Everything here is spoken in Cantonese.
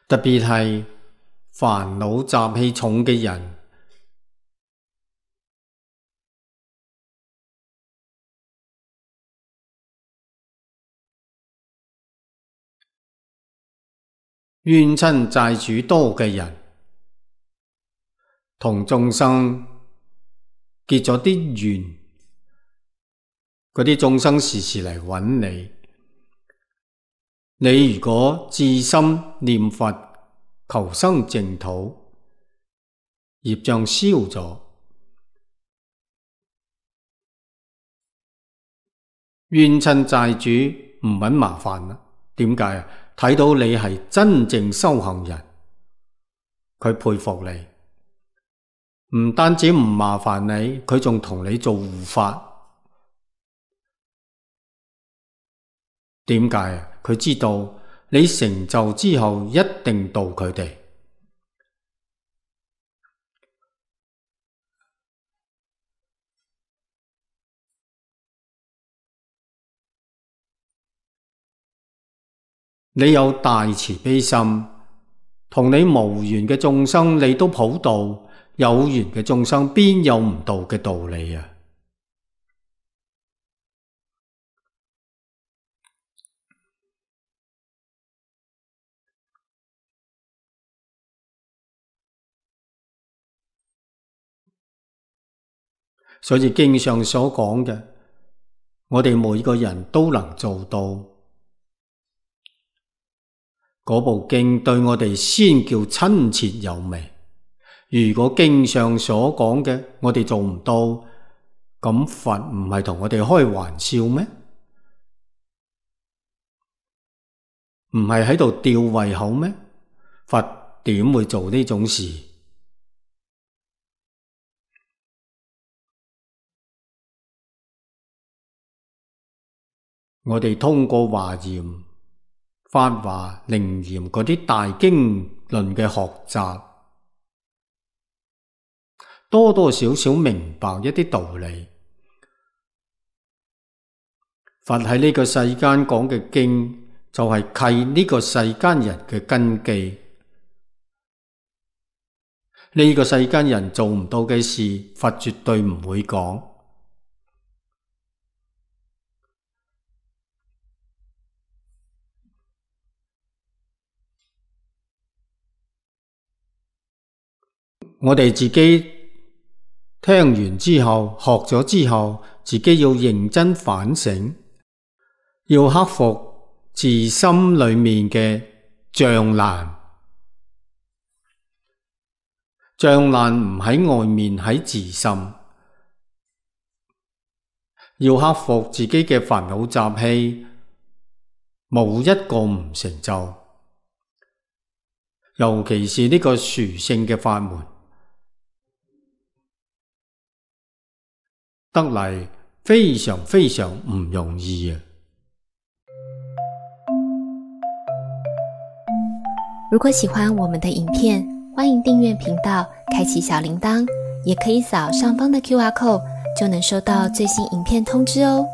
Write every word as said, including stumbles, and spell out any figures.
特別係煩惱習氣重嘅人，冤親債主多嘅人，同眾生結咗啲緣，嗰啲眾生時時嚟揾你。你如果至心念佛求生淨土，業障消咗，冤親債主唔搵麻煩啦。點解啊？睇到你係真正修行人，佢佩服你，唔單止唔麻煩你，佢仲同你做護法。點解啊？佢知道你成就之後一定度佢哋。你有大慈悲心，同你無緣嘅眾生你都普渡，有緣嘅眾生邊有唔度嘅道理啊？所以經上所講嘅，我哋每個人都能做到。嗰部經對我哋先叫親切有味。如果經上所講嘅我哋做唔到，咁佛唔係同我哋開玩笑咩？唔係喺度吊胃口咩？佛點會做呢種事？我哋通過華嚴、法華、楞嚴嗰啲大經論嘅學習，多多少少明白一啲道理。佛喺呢個世間講嘅經，就係契呢個世間人嘅根基。呢個世間人做唔到嘅事，佛絕對唔會講。我哋自己聽完之後，學咗之後，自己要認真反省，要克服自心裏面嘅障難。障難唔喺外面，喺自心。要克服自己嘅煩惱習氣，冇一個唔成就。尤其是呢個殊勝嘅法門，得嚟非常非常唔容易啊！如果喜歡我們的影片，歡迎訂閱頻道，開啟小鈴鐺，也可以掃上方的 Q R code，就能收到最新影片通知哦。